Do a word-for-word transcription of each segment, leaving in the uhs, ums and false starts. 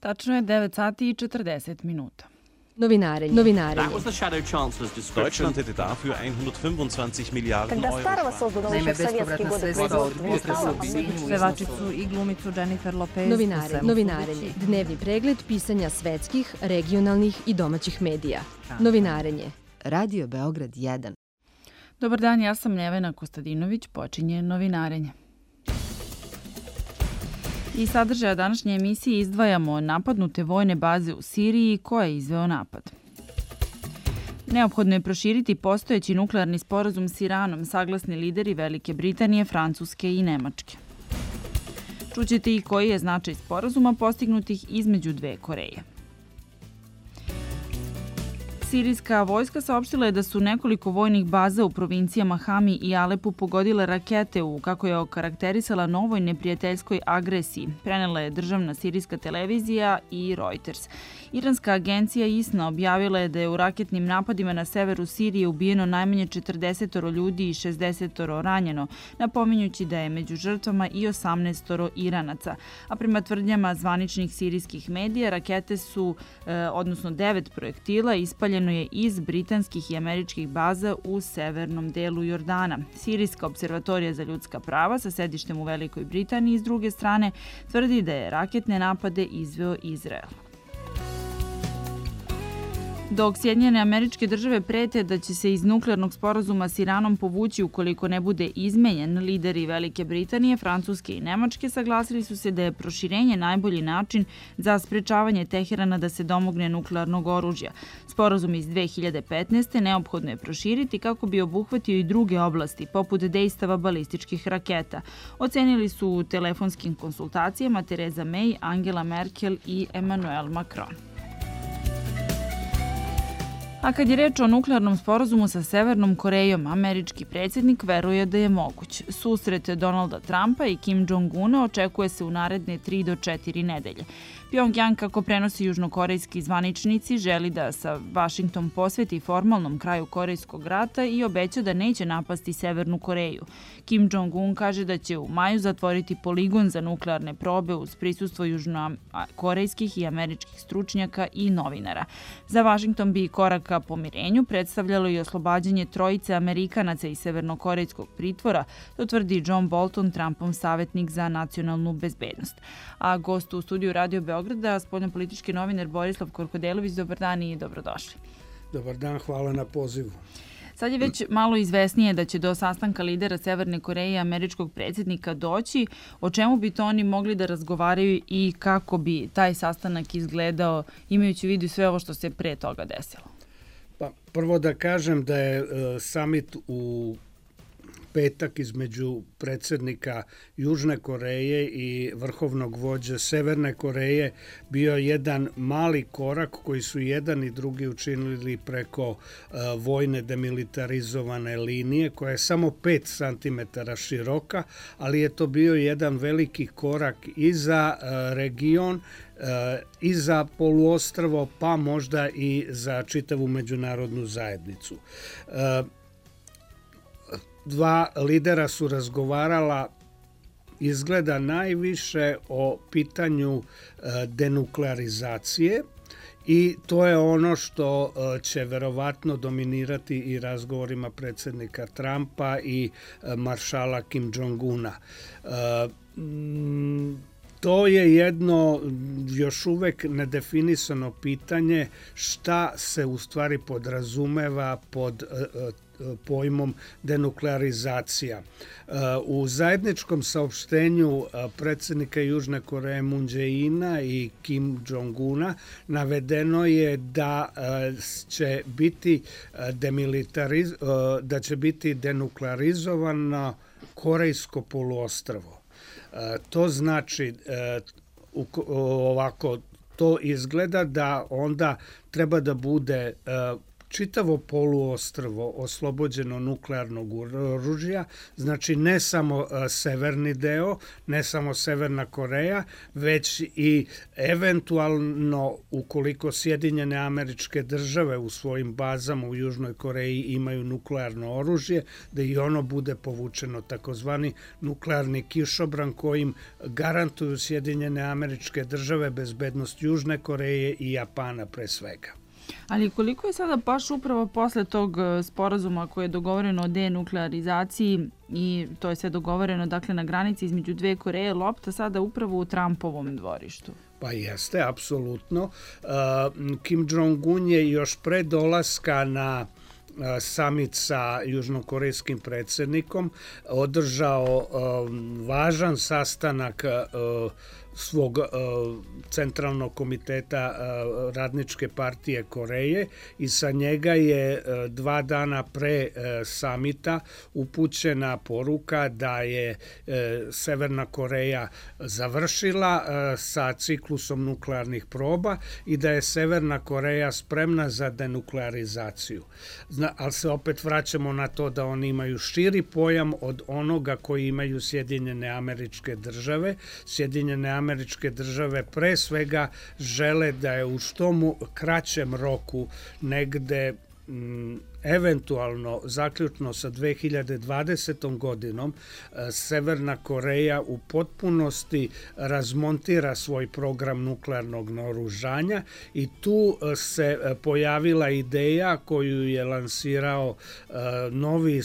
Tačno je devet sati i četrdeset minuta. Novinarenje. Novinarenje. Deutschland hätte dafür hundertfünfundzwanzig Milliarden Euro. Naime, bespovratna sredstva od potresa u Sinju. Pevačicu i glumicu Jennifer Lopez. Novinarenje. Novinarenje. Dnevni pregled pisanja svetskih, regionalnih i domaćih medija. Novinarenje. Radio Beograd jedan. Dobar dan, ja sam Nevena Kostadinović, počinje Novinarenje. Iz sadržaja današnje emisije izdvajamo napadnute vojne baze u Siriji, ko je izveo napad. Neophodno je proširiti postojeći nuklearni sporazum s Iranom, saglasni lideri Velike Britanije, Francuske i Nemačke. Čućete i koji je značaj sporazuma postignutih između dve Koreje. Sirijska vojska saopštila je da su nekoliko vojnih baza u provincijama Hami i Alepu pogodile rakete u, kako je okarakterisala, novoj neprijateljskoj agresiji. Prenela je državna sirijska televizija i Reuters. Iranska agencija I S N A objavila je da je u raketnim napadima na severu Sirije ubijeno najmanje četrdeset ljudi i šezdeset ranjeno, napominjući da je među žrtvama i osamnaest Iranaca. A prema tvrdnjama zvaničnih sirijskih medija, rakete su, eh, odnosno devet projektila, ispaljeno je iz britanskih i američkih baza u severnom delu Jordana. Sirijska observatorija za ljudska prava sa sedištem u Velikoj Britaniji s druge strane tvrdi da je raketne napade izveo Izrael. Dok Sjedinjene Američke Države prete da će se iz nuklearnog sporazuma s Iranom povući ukoliko ne bude izmenjen, lideri Velike Britanije, Francuske i Nemačke saglasili su se da je proširenje najbolji način za sprečavanje Teherana da se domogne nuklearnog oružja. Sporazum iz dve hiljade petnaeste. neophodno je proširiti kako bi obuhvatio i druge oblasti, poput dejstava balističkih raketa. Ocenili su u telefonskim konsultacijama Theresa May, Angela Merkel i Emmanuel Macron. A kad je reč o nuklearnom sporazumu sa Severnom Korejom, američki predsjednik veruje da je moguć. Susret Donalda Trumpa i Kim Jong-una očekuje se u naredne tri do četiri nedelje. Pjongjang, kako prenosi južnokorejski zvaničnici, želi da sa Vašington posveti formalnom kraju Korejskog rata i obeća da neće napasti Severnu Koreju. Kim Jong-un kaže da će u maju zatvoriti poligon za nuklearne probe uz prisustvo južnokorejskih i američkih stručnjaka i novinara. Za Vašington bi korak ka pomirenju predstavljalo i oslobađanje trojice Amerikanaca iz severnokorejskog pritvora, to tvrdi John Bolton, Trumpov savjetnik za nacionalnu bezbednost. A gost u studiju Radio Beograda, spoljnopolitički novinar Borislav Korkodelović, dobar dan i dobrodošli. Dobar dan, hvala na pozivu. Sad je već malo izvesnije da će do sastanka lidera Severne Koreje i američkog predsjednika doći. O čemu bi to oni mogli da razgovaraju i kako bi taj sastanak izgledao, imajući u vidu sve ovo što se pre toga desilo? Pa, prvo da kažem da je uh, summit u petak između predsjednika Južne Koreje i vrhovnog vođe Severne Koreje bio jedan mali korak koji su jedan i drugi učinili preko uh, vojne demilitarizovane linije koja je samo pet santimetara široka, ali je to bio jedan veliki korak i za uh, region, uh, i za poluostrvo, pa možda i za čitavu međunarodnu zajednicu. Uh, Dva lidera su razgovarala izgleda najviše o pitanju denuklearizacije i to je ono što će verovatno dominirati i razgovorima predsjednika Trumpa i maršala Kim Jong-una. To je jedno još uvek nedefinisano pitanje šta se u stvari podrazumeva pod pojmom denuklearizacija. U zajedničkom saopštenju predsjednika Južne Koreje Moon Jae-ina i Kim Jong-una navedeno je da će biti demilitariz... da će biti denuklearizovano Korejsko poluostrvo. To znači ovako, to izgleda da onda treba da bude čitavo poluostrvo oslobođeno nuklearnog oružja, znači ne samo severni deo, ne samo Severna Koreja, već i eventualno ukoliko Sjedinjene Američke Države u svojim bazama u Južnoj Koreji imaju nuklearno oružje, da i ono bude povučeno, takozvani nuklearni kišobran kojim garantuju Sjedinjene Američke Države bezbednost Južne Koreje i Japana pre svega. Ali koliko je sada baš upravo posle tog sporazuma koje je dogovoreno o denuklearizaciji i to je sve dogovoreno dakle na granici između dve Koreje, lopta sada upravo u Trumpovom dvorištu? Pa jeste, apsolutno. Kim Jong-un je još pre dolaska na samit sa južnokorejskim predsjednikom održao važan sastanak svog centralnog komiteta Radničke partije Koreje i sa njega je dva dana pre samita upućena poruka da je Severna Koreja završila sa ciklusom nuklearnih proba i da je Severna Koreja spremna za denuklearizaciju. Ali se opet vraćamo na to da oni imaju širi pojam od onoga koji imaju Sjedinjene Američke Države. Sjedinjene Američke Države pre svega žele da je u što mu kraćem roku negde eventualno zaključno sa dve hiljade dvadesetom godinom Severna Koreja u potpunosti razmontira svoj program nuklearnog naoružanja i tu se pojavila ideja koju je lansirao novi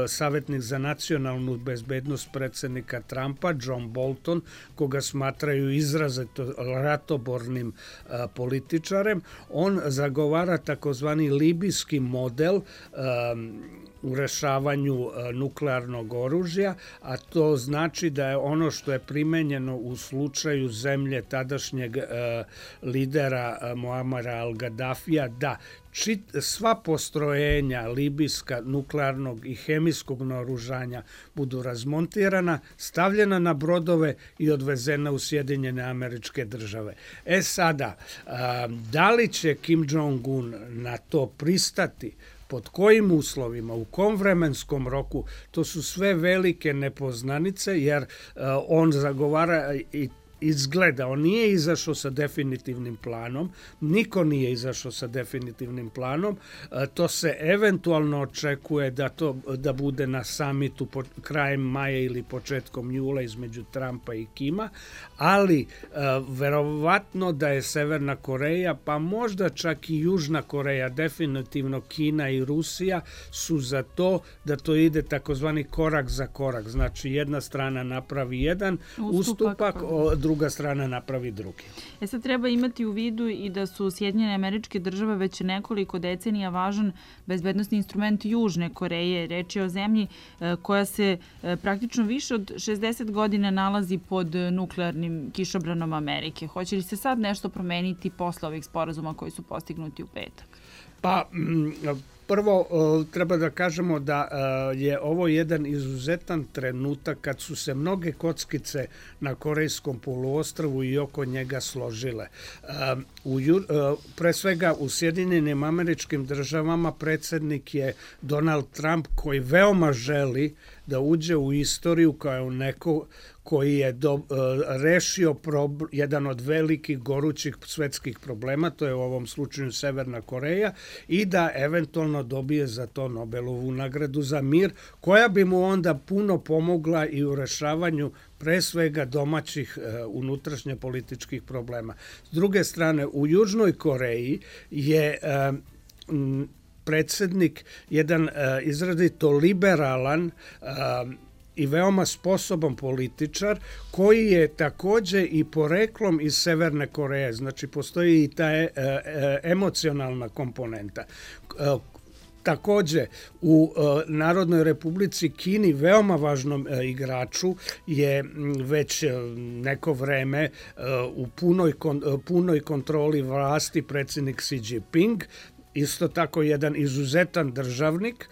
savjetnik za nacionalnu bezbednost predsjednika Trumpa, John Bolton, koga smatraju izrazito ratobornim političarem. On zagovara takozvani libijski model model um, u rešavanju uh, nuklearnog oružja, a to znači da je ono što je primenjeno u slučaju zemlje tadašnjeg uh, lidera uh, Muamara al-Gaddafija, da Čit, sva postrojenja libijska nuklearnog i hemijskog naoružanja budu razmontirana, stavljena na brodove i odvezena u Sjedinjene Američke Države. E sada, a, da li će Kim Jong-un na to pristati, pod kojim uslovima, u kom vremenskom roku, to su sve velike nepoznanice, jer a, on zagovara i izgleda, on nije izašao sa definitivnim planom, niko nije izašao sa definitivnim planom, to se eventualno očekuje da to da bude na samitu po, krajem maja ili početkom jula između Trumpa i Kima, ali verovatno da je Severna Koreja, pa možda čak i Južna Koreja, definitivno Kina i Rusija su za to da to ide takozvani korak za korak, znači jedna strana napravi jedan ustupak, ustupak druga strana napravi drugi. E sad treba imati u vidu i da su Sjedinjene Američke Države već nekoliko decenija važan bezbednosni instrument Južne Koreje. Reč je o zemlji koja se praktično više od šezdeset godina nalazi pod nuklearnim kišobranom Amerike. Hoće li se sad nešto promeniti posle ovih sporazuma koji su postignuti u petak? Pa, prvo treba da kažemo da je ovo jedan izuzetan trenutak kad su se mnoge kockice na Korejskom poluostrvu i oko njega složile. U, pre svega u Sjedinjenim Američkim Državama predsjednik je Donald Trump koji veoma želi da uđe u istoriju kao neko koji je do, uh, rešio prob, jedan od velikih gorućih svetskih problema, to je u ovom slučaju Severna Koreja, i da eventualno dobije za to Nobelovu nagradu za mir, koja bi mu onda puno pomogla i u rešavanju pre svega domaćih uh, unutrašnje političkih problema. S druge strane, u Južnoj Koreji je uh, m, predsjednik jedan uh, izrazito liberalan uh, i veoma sposoban političar koji je takođe i poreklom iz Severne Koreje, znači postoji i ta e, e, emocionalna komponenta. E, Takođe, u e, Narodnoj Republici Kini veoma važnom e, igraču je već e, neko vreme e, u punoj, kon, punoj kontroli vlasti predsjednik Xi Jinping, isto tako jedan izuzetan državnik.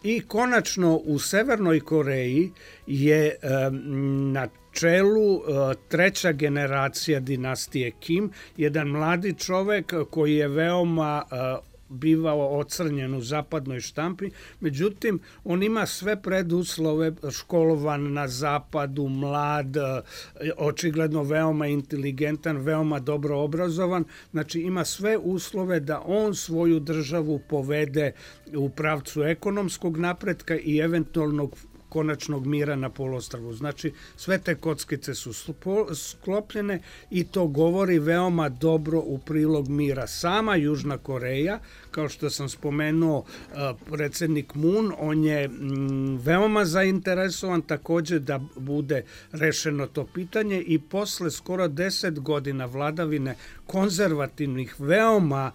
I konačno u Severnoj Koreji je um, na čelu uh, treća generacija dinastije Kim, jedan mladi čovek koji je veoma uh, bivao ocrnjen u zapadnoj štampi, međutim, on ima sve preduslove, školovan na zapadu, mlad, očigledno veoma inteligentan, veoma dobro obrazovan, znači ima sve uslove da on svoju državu povede u pravcu ekonomskog napretka i eventualnog konačnog mira na poluostrvu. Znači, sve te kockice su sklopljene i to govori veoma dobro u prilog mira. Sama Južna Koreja, kao što sam spomenuo, predsjednik Moon, on je veoma zainteresovan također da bude rešeno to pitanje i posle skoro deset godina vladavine konzervativnih, veoma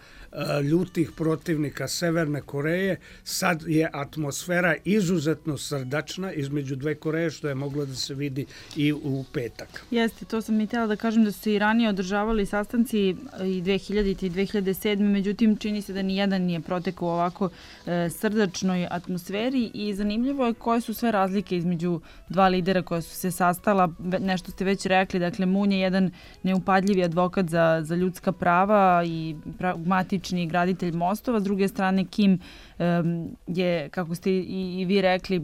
ljutih protivnika Severne Koreje, sad je atmosfera izuzetno srdačna između dve Koreje, što je moglo da se vidi i u petak. Jeste, to sam i htjela da kažem da su se i ranije održavali sastanci i dve hiljadite i dve hiljade sedme. Međutim, čini se da ni jedan nije protekao u ovako e, srdačnoj atmosferi i zanimljivo je koje su sve razlike između dva lidera koja su se sastala. Nešto ste već rekli, dakle, Moon je jedan neupadljivi advokat za, za ljudska prava i pragmatični graditelj mostova. S druge strane, Kim um, je, kako ste i, i vi rekli,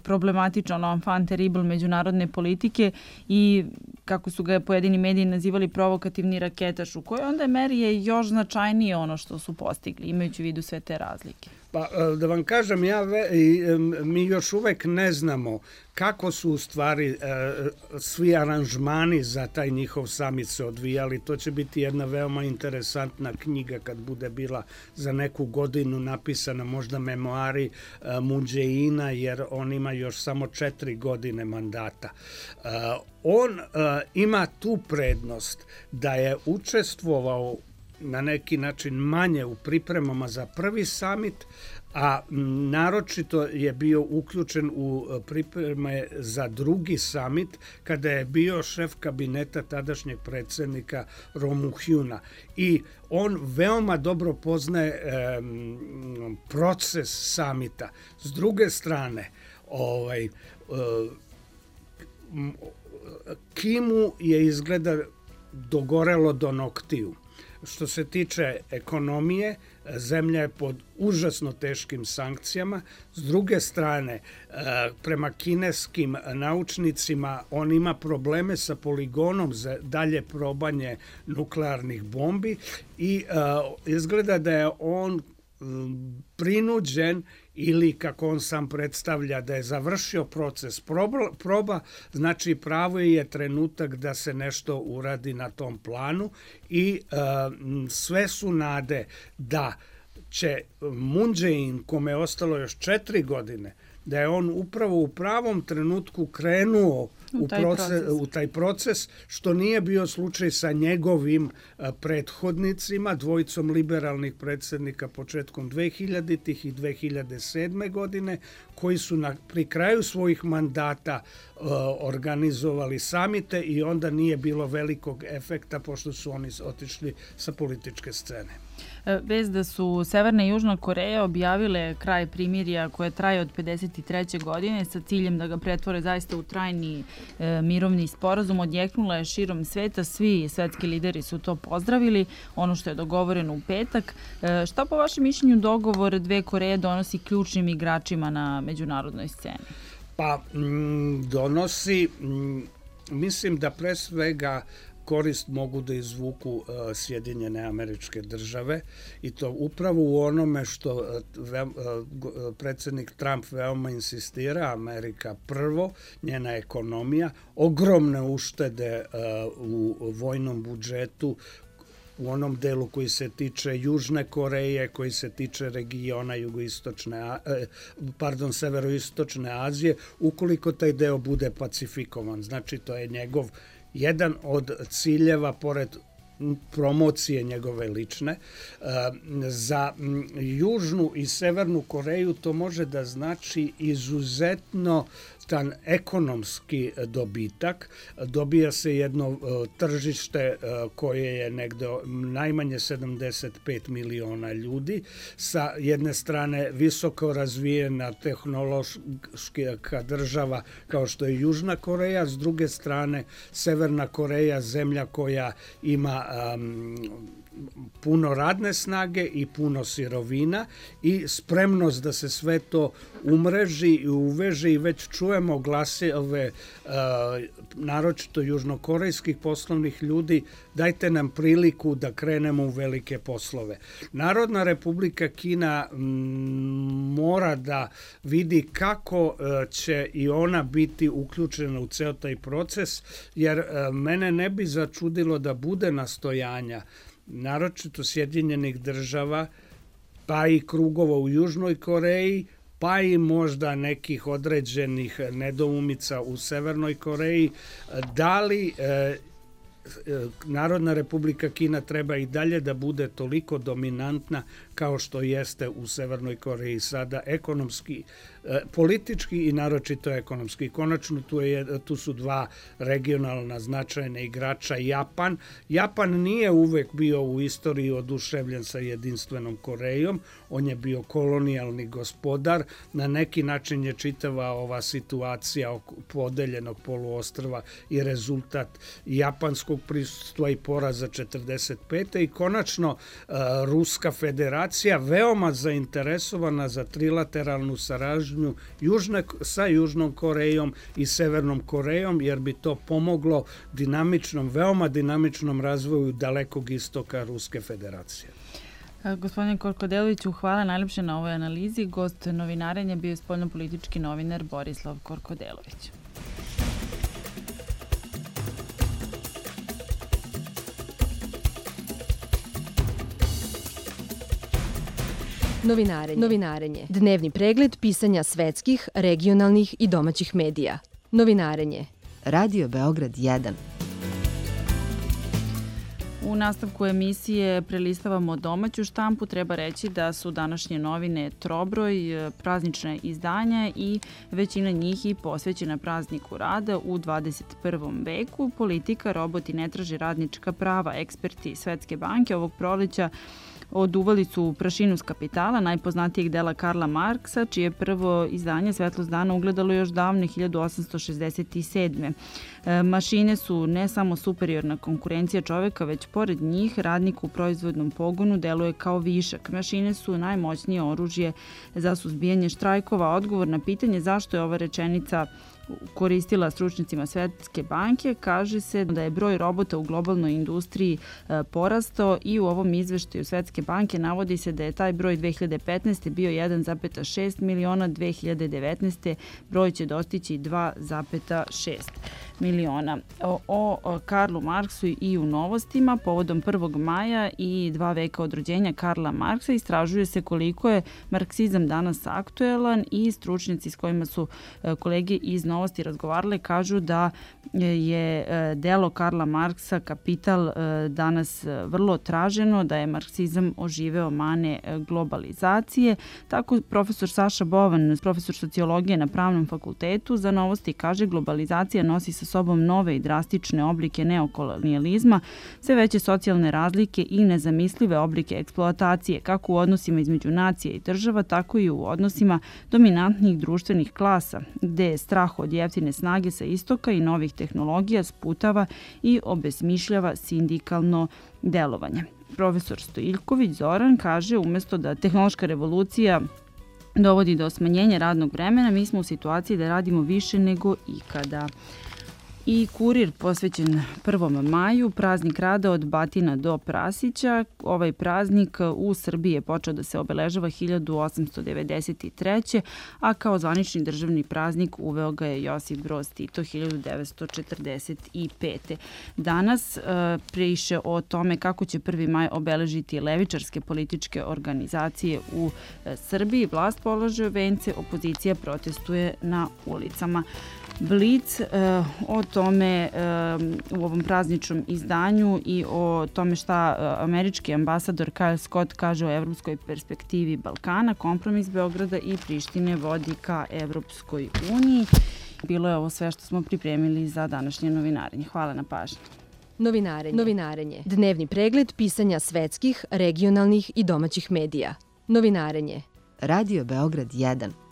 problematičan enfant terrible međunarodne politike i kako su ga pojedini mediji nazivali provokativni raketaš, u kojoj onda meri je još značajnije ono što su postigli, imajući u vidu sve te razlike. Pa da vam kažem, ja ve, mi još uvek ne znamo kako su u stvari svi aranžmani za taj njihov samit se odvijali. To će biti jedna veoma interesantna knjiga kad bude bila za neku godinu napisana, možda memoari Moon Jae-ina, jer on ima još samo četiri godine mandata. On ima tu prednost da je učestvovao na neki način manje u pripremama za prvi samit, a naročito je bio uključen u pripreme za drugi samit kada je bio šef kabineta tadašnjeg predsjednika Roh Moo-hyuna. I on veoma dobro poznaje eh, proces samita. S druge strane, ovaj, eh, Kimu je izgleda dogorelo do noktiju. Što se tiče ekonomije, zemlja je pod užasno teškim sankcijama. S druge strane, prema kineskim naučnicima, on ima probleme sa poligonom za dalje probanje nuklearnih bombi i izgleda da je on prinuđen ili, kako on sam predstavlja, da je završio proces proba, proba, znači pravo je trenutak da se nešto uradi na tom planu i uh, sve su nade da će Moon Jae-in, kome je ostalo još četiri godine, da je on upravo u pravom trenutku krenuo u taj, proces, proces. u taj proces, što nije bio slučaj sa njegovim prethodnicima, dvojicom liberalnih predsjednika početkom dvehiljaditih i dve hiljade sedme. godine, koji su na, pri kraju svojih mandata uh, organizovali samite i onda nije bilo velikog efekta pošto su oni otišli sa političke scene. Vez da su Severna i Južna Koreja objavile kraj primirja koje traje od pedeset treće. godine sa ciljem da ga pretvore zaista u trajni e, mirovni sporazum, odjeknula je širom sveta. Svi svetski lideri su to pozdravili, ono što je dogovoreno u petak. E, šta po vašem mišljenju dogovor dve Koreje donosi ključnim igračima na međunarodnoj sceni? Pa m, donosi, m, mislim da pre svega korist mogu da izvuku uh, Sjedinjene Američke Države i to upravo u onome što uh, ve, uh, predsjednik Trump veoma insistira, Amerika prvo, njena ekonomija, ogromne uštede uh, u vojnom budžetu, u onom delu koji se tiče Južne Koreje, koji se tiče regiona jugoistočne, pardon, severoistočne Azije, ukoliko taj deo bude pacifikovan. Znači, to je njegov jedan od ciljeva, pored promocije njegove lične. Za Južnu i Severnu Koreju to može da znači izuzetno tan ekonomski dobitak. Dobija se jedno tržište koje je negde najmanje sedamdeset pet miliona ljudi. Sa jedne strane visoko razvijena tehnološka država kao što je Južna Koreja, s druge strane Severna Koreja, zemlja koja ima um, puno radne snage i puno sirovina i spremnost da se sve to umreži i uveže i već čujemo glasove uh, naročito južnokorejskih poslovnih ljudi, dajte nam priliku da krenemo u velike poslove. Narodna Republika Kina m, mora da vidi kako uh, će i ona biti uključena u ceo taj proces, jer uh, mene ne bi začudilo da bude nastojanja naročito Sjedinjenih država, pa i krugova u Južnoj Koreji, pa i možda nekih određenih nedoumica u Severnoj Koreji, da li e, Narodna Republika Kina treba i dalje da bude toliko dominantna kao što jeste u Severnoj Koreji sada ekonomski, politički i naročito ekonomski. Konačno tu, je, tu su dva regionalna značajna igrača. Japan. Japan nije uvek bio u istoriji oduševljen sa jedinstvenom Korejom. On je bio kolonijalni gospodar. Na neki način je čitava ova situacija podeljenog poluostrva i rezultat japanskog prisustva i poraza četrdeset pete. I konačno Ruska federacija veoma zainteresovana za trilateralnu saradnju Južne, sa Južnom Korejom i Severnom Korejom, jer bi to pomoglo dinamičnom, veoma dinamičnom razvoju dalekog istoka Ruske federacije. Gospodine Korkodeloviću, hvala najlepše na ovoj analizi. Gost novinarenja bio je spoljnopolitički novinar Borislav Korkodelović. Novinarenje. Novinarenje. Dnevni pregled pisanja svetskih, regionalnih i domaćih medija. Novinarenje. Radio Beograd jedan. U nastavku emisije prelistavamo domaću štampu. Treba reći da su današnje novine trobroj, praznične izdanja i većina njih i posvećena prazniku rada u dvadeset prvom veku. Politika, roboti ne traže radnička prava. Eksperti Svetske banke ovog proleća oduvali su u prašinu s kapitala najpoznatijeg dela Karla Marksa, čije prvo izdanje Svetlost dana ugledalo još davne hiljadu osamsto šezdeset sedme. E, mašine su ne samo superiorna konkurencija čoveka, već pored njih radnik u proizvodnom pogonu deluje kao višak. Mašine su najmoćnije oružje za suzbijanje štrajkova. Odgovor na pitanje zašto je ova rečenica koristila stručnicima Svetske banke, kaže se da je broj robota u globalnoj industriji porastao i u ovom izveštaju Svetske banke navodi se da je taj broj dve hiljade petnaeste. bio jedan zarez šest miliona, dve hiljade devetnaeste. broj će dostići dva zarez šest miliona. O, o Karlu Marksu i u novostima povodom prvog maja i dva veka od rođenja Karla Marksa istražuje se koliko je marksizam danas aktuelan i stručnjaci s kojima su kolege iz novosti razgovarale kažu da je delo Karla Marksa Kapital danas vrlo traženo, da je marksizam oživeo mane globalizacije. Tako profesor Saša Bovan, profesor sociologije na Pravnom fakultetu, za novosti kaže globalizacija nosi sa sobom nove i drastične oblike neokolonijalizma, sve veće socijalne razlike i nezamislive oblike eksploatacije, kako u odnosima između nacije i država, tako i u odnosima dominantnih društvenih klasa, gde je strah od jeftine snage sa istoka i novih tehnologija sputava i obesmišljava sindikalno delovanje. Profesor Stojiljković Zoran kaže umesto da tehnološka revolucija dovodi do smanjenja radnog vremena, mi smo u situaciji da radimo više nego ikada. I Kurir posvećen prvom maju, praznik rada od Batina do Prasića. Ovaj praznik u Srbiji je počeo da se obeležava hiljadu osamsto devedeset treće. a kao zvanični državni praznik uveo ga je Josip Broz Tito hiljadu devetsto četrdeset pete. Danas priše o tome kako će prvi maj obeležiti levičarske političke organizacije u Srbiji. Vlast polaže vence, opozicija protestuje na ulicama. Blic o tome u ovom prazničnom izdanju i o tome šta američki ambasador Kyle Scott kaže o evropskoj perspektivi Balkana, kompromis Beograda i Prištine vodi ka Evropskoj uniji. Bilo je ovo sve što smo pripremili za današnje novinarenje. Hvala na pažnji. Novinarenje. Novinarenje. Dnevni pregled pisanja svetskih, regionalnih i domaćih medija. Novinarenje. Radio Beograd jedan.